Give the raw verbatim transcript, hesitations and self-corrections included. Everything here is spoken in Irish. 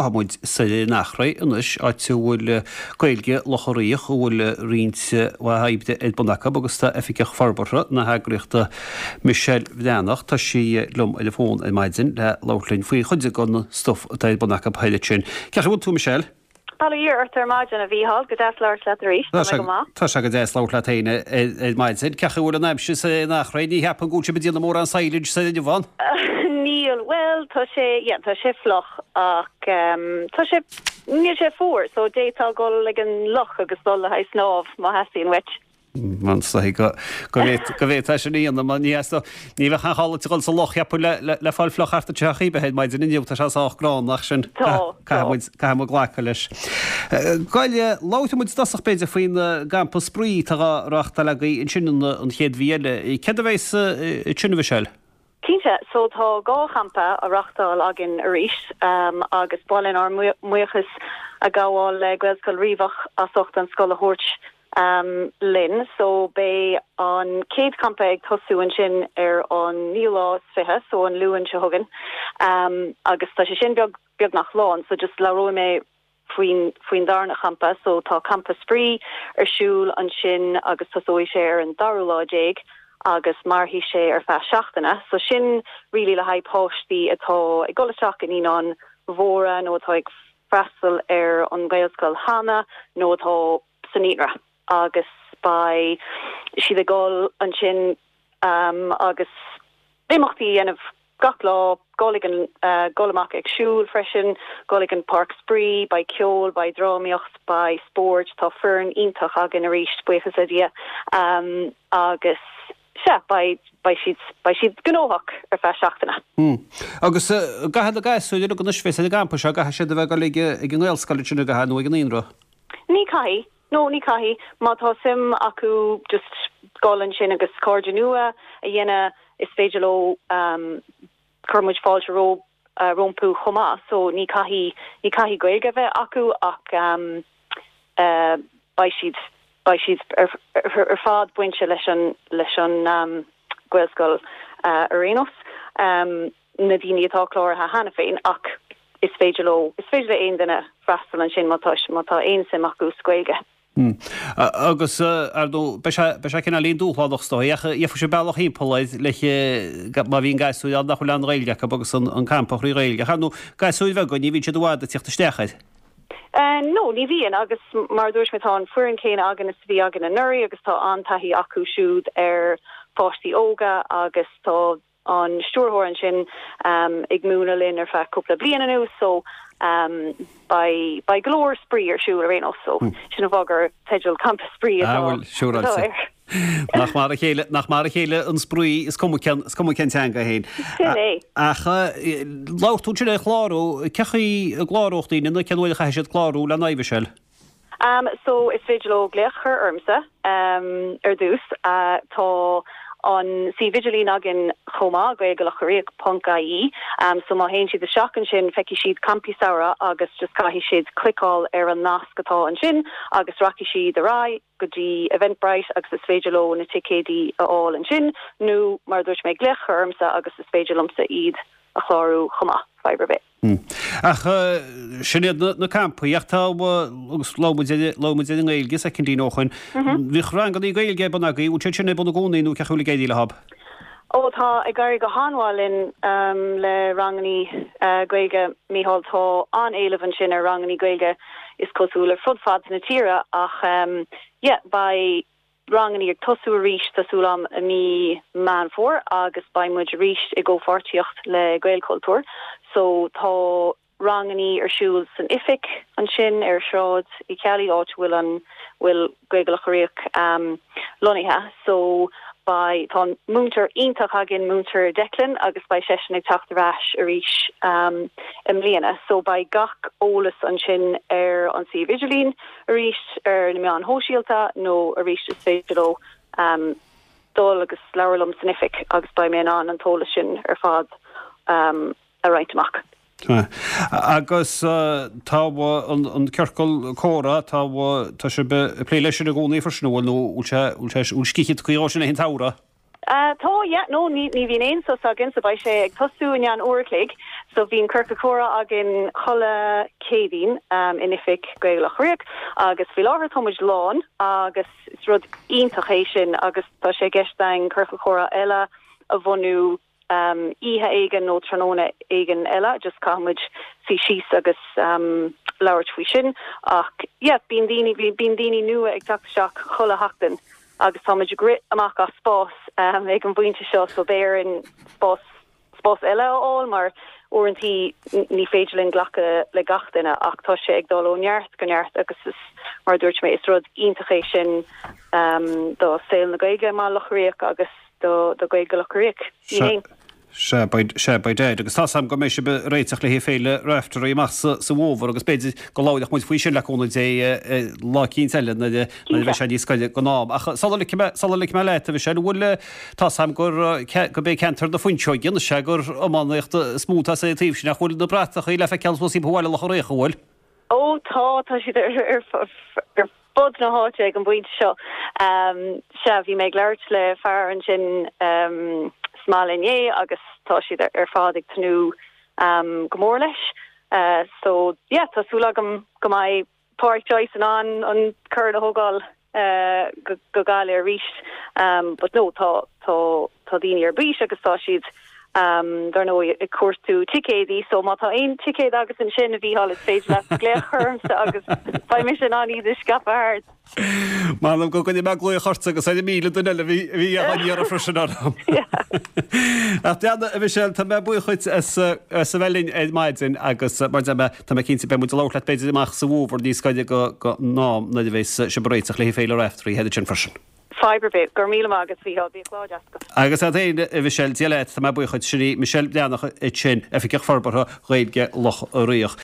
Gabhfaidh muid soir ar an Eachréidh anois, áit a bhfuil Gaeilge Locha Riach, a bhfuil roinnt mhaith oibre ar bun acu agus tá Oifigeach Forbartha na heagraíochta Michelle Bhreathnach, tá sí liom ar an bhfón ar maidin le labhairt linn faoi chuid den stuif atá ar bun acu thoir ansin. Cén chaoi a bhfuil tú Michelle? Bail ó Dhia ort ar maidin a Mhícheáil, go deas labhairt leat arís, tá mé go maith. Tá sé go deas labhairt leat féin ar maidin. Cén chaoi a bhfuil an aimsir soir ar an Eachréidh, ní cheapaim go bhfuil sibh ag déanamh mórán silage soir inniu ann? Níl, bhuel tá sé, yeah, tá sé fliuch ach tá sé, níl sé fuar so d'fhéadfá dul ag an loch agus dul le haghaidh snámh má theastaíonn uait. Is dóigh go bhféadfá sin a dhéanamh mar ní ní bheadh aon chall duit a dhul sa loch cheapfainn le le fáil fliuch thart anseo chaoi ar bith ar maidin inniu, tá sé sách gránna ach sin caithfidh muid glacadh leis. Gabh i leith, labhróidh muid i dtosach b'fhéidir faoin gcampa spraoi atá á reáchtáil agaibh ansin an chéad mhí eile. Céard a bheas ansin a Mhichelle? Cinnte, so tá dhá champa á reáchtáil againn arís agus ba mhaith linn ár mbuíochas a ghabháil le Gaelscoil Riabhach as ucht an scoil a thabhairt linn. So beidh an chéad champa ag tosú ansin ar an naoú lá is fiche, so an Luan seo chugainn agus tá sé sin beag beagnach lán so just labhróidh mé faoin faoin darna champa. So tá campa spraoi ar siúl ansin agus tosóidh sé ar an dara lá déag agus mairfidh sé ar feadh seachtaine. So sin really le haghaidh páistí atá ag dul isteach i naíonáin mhóra nó atá ag freastal ar an Ghaelscoil cheana nó atá sa naíonra agus beidh siad ag dul ansin um, agus imeachtaí a dhéanamh gach lá, dul ag an uh, dul amach ag siúl freisin, dul ag an páirc spraoi, beidh ceol, beidh drámaíocht, beidh spórt, tá foireann iontach againn arís buíochas le Dia um, agus sea beidh beidh siad beidh siad gnóthach ar feadh seachtaine. Hmm. Agus uh, caithfidh na gasúir uilig anois bheith ar an gcampa seo, caithfidh siad a bheith ag dul ag ag an nGaelscoil sin a gcaithfidh nó ag an naíonra. Ní chaithfidh, no ní chaithfidh, má tá suim acu just dul ansin agus cairde nua a dhéanamh is féidir leo um, cuireann muid fáilte ro uh, rompu chomh maith, so ní chaithfidh ní caithfidh Gaeilge a bheith acu ach um, uh, beidh siad beidh siad ar, ar, ar fad bainte leis an leis an um, Gaelscoil uh, ar aon nós um, na daoine atá cláraithe cheana féin ach is féidir leo is féidir le aon duine freastal ansin má tá má tá aon suim acu sa Ghaeilge. Hmm. Agus ar ndóigh beidh sé cineáilín dúshlánach is dóigh, ach gheobhaidh sibh bealach thimpeall air le má bhíonn gasúir ann nach bhfuil aon Ghaeilge acu agus an campa trí Ghaeilge. Ach ar ndóigh gasúir bheaga ní bhíonn siad i bhfad ag tíocht isteach air. Uh, no, ní bhíonn agus mar dúirt mé tá an foireann céanna againn is a bhí againn anuraidh agus tá an-taithí acu siúd ar pháistí óga agus tá an stiúrthóir ansin um, ag múineadh linn ar feadh cúpla bliain anuas so um, beidh beidh go leor spraoi ar siúl ar aon nós so mm. sin an fáth gur teideal campa spraoi ah, siúráilte. Nach mar a chéile nach mar a chéile an spraoi is cuma cén is cuma cén teanga féin. Ach labhair tú ansin ar chlárú cén chaoi a gcláródh daoine nó cén uair a chaithfidh siad clárú le n-aghaidh Michelle. Um, so is féidir leo glaoch a chur ormsa um, ar dtús uh, tá an suíomh idirlín againn chomh maith gaeilgelochariach.ie um, so má théann siad isteach ansin feicfidh siad campaí samhraidh agus just caithfidh siad cliceáil ar an nasc atá ansin agus rachaidh siad ar aghaidh go dtí Eventbrite agus is féidir leo na ticéidí a fháil ansin nó mar dúirt mé glaoch ormsa agus is féidir liomsa iad a chlárú chomh maith fadhb ar bith. Hmm. Ach sin iad na campaí ach tá agus labhair muid ar an nGaeilge soicindín ó shin. Mhm. Bhíodh rangannaí Gaeilge ar bun agaibh, bhfuil siad sin ar bun i gcónaí nó cén chaoi a bhfuil ag éirí leo? Ó tá ag éirí go han-mhaith linn um, le rangannaí uh, Gaeilge Mícheál tá an-éileamh ansin ar rangannaí Gaeilge is cosúil le fud fad na tíre ach um, yeah, beidh rangannaí ag tosú arís tá súil agam i mí Meán Fómhair agus beidh muid arís i gcomhpháirtíocht le Gaelchultúr so tá rangannaí ar siúl san oifig ansin ar Sráid Uí Cheallaigh áit bhfuil an bhfuil Gaeilge Locha Riach um, lonnaithe so beidh tá múinteoir iontach againn múinteoir Declan agus beidh seisean ag teacht ar ais arís um, i mbliana so beidh gach eolas ansin ar an suíomh idirlín arís ar na meáin shóisialta nó arís is féidir leo um, dul agus labhairt liom san oifig agus beidh mé in ann an t-eolas sin ar fad um, a roinnt amach. Agus tá an ciorcal comhrá tá tá sibh ag plé leis sin i gcónaí freisin bhfuil nó bhfuil sé bhfuil scíth tagtha dhó sin an samhradh? Uh, tá yeah, no ní ní bhíonn aon sos againn so beidh sé ag tosú in uair a chloig So bíonn ciorcal comhrá againn chuile Chéadaoin um, in oifig Gaeilge Locha Riach agus faoi láthair tá muid lán agus is rud iontach é sin agus tá sé i gceist againn ciorcal comhrá eile a bhunú um, oíche éigin nó tráthnóna éigin eile, just caithfimid suí síos agus um, labhairt faoi sin ach yeah, bíonn daoine bíonn daoine nua ag teacht isteach chuile sheachtain agus táimid ag rith amach as spás um, ag an bpointe seo so beidh orainn spás spás eile a fháil mar uaireanta ní féidir linn glacadh le gach duine ach tá sé ag dul ó neart go neart agus is mar dúirt mé is rud iontach é sin um, do saol na Gaeilge i mBaile Locha Riach agus do do Gaeilge Locha Riach. Sea sea by dad agus tá am go mbeidh sibh ag réiteach le Féile Raifteirí amach sa bhfómhar agus b'fhéidir go labhróidh muid faoi sin le cúnamh Dé lá eicínt eile nuair a bheidh sé níos gaire don am. Ach sula ligfidh mé leat a Mhichelle bhfuil tá am gur go bé ceantar na fuinseoige sé gur iománaíocht is mó atá sa taobh sin ach bhfuil na bratachaí le feiceáil suas timpeall Bhaile Locha Riach bhfuil? Ó tá tá siad ar ar fud na háite ag an bpointe seo. Um, sea bhí mé ag labhairt le fear ansin um, sa mbaile inné agus tá siad ar fad ag tnúth um, go mór leis. Uh, so yeah, tá súil agam go mbeidh Pádraic Joyce in ann an corn a thógáil uh, go, go Gaillimh arís. Um, but no tá tá tá daoine ar bís agus tá siad um, dar ndóigh ag cuartú ticéidí, so má tá aon ticéad agat ansin a Mhícheáil is féidir leat glaoch ormsa agus beidh mise in ann iad a scaipeadh thart. M'anam go gcuirfidh mé glaoch ort agus ar míle duine eile bhí bhí á iarraidh freisin orm. Ach deanna a Mhichelle tá mé buíoch duit as as a bheith linn ar maidin agus mar deir mé tá mé cinnte beidh muid ag labhairt leat b'fhéidir amach sa bhfómhar níos gaire go go ná nuair a bheas sibh ag réiteach le Féile Raifteirí thíos ansin freisin. Fadhb ar bith go raibh míle maith agat Mhícheál bíodh lá deas agat. Agus a féin a Mhichelle Dia leat tá mé buíoch duit sin í Michelle Breathnach ansin Oifigeach Forbartha Ghaeilge Loch Riach.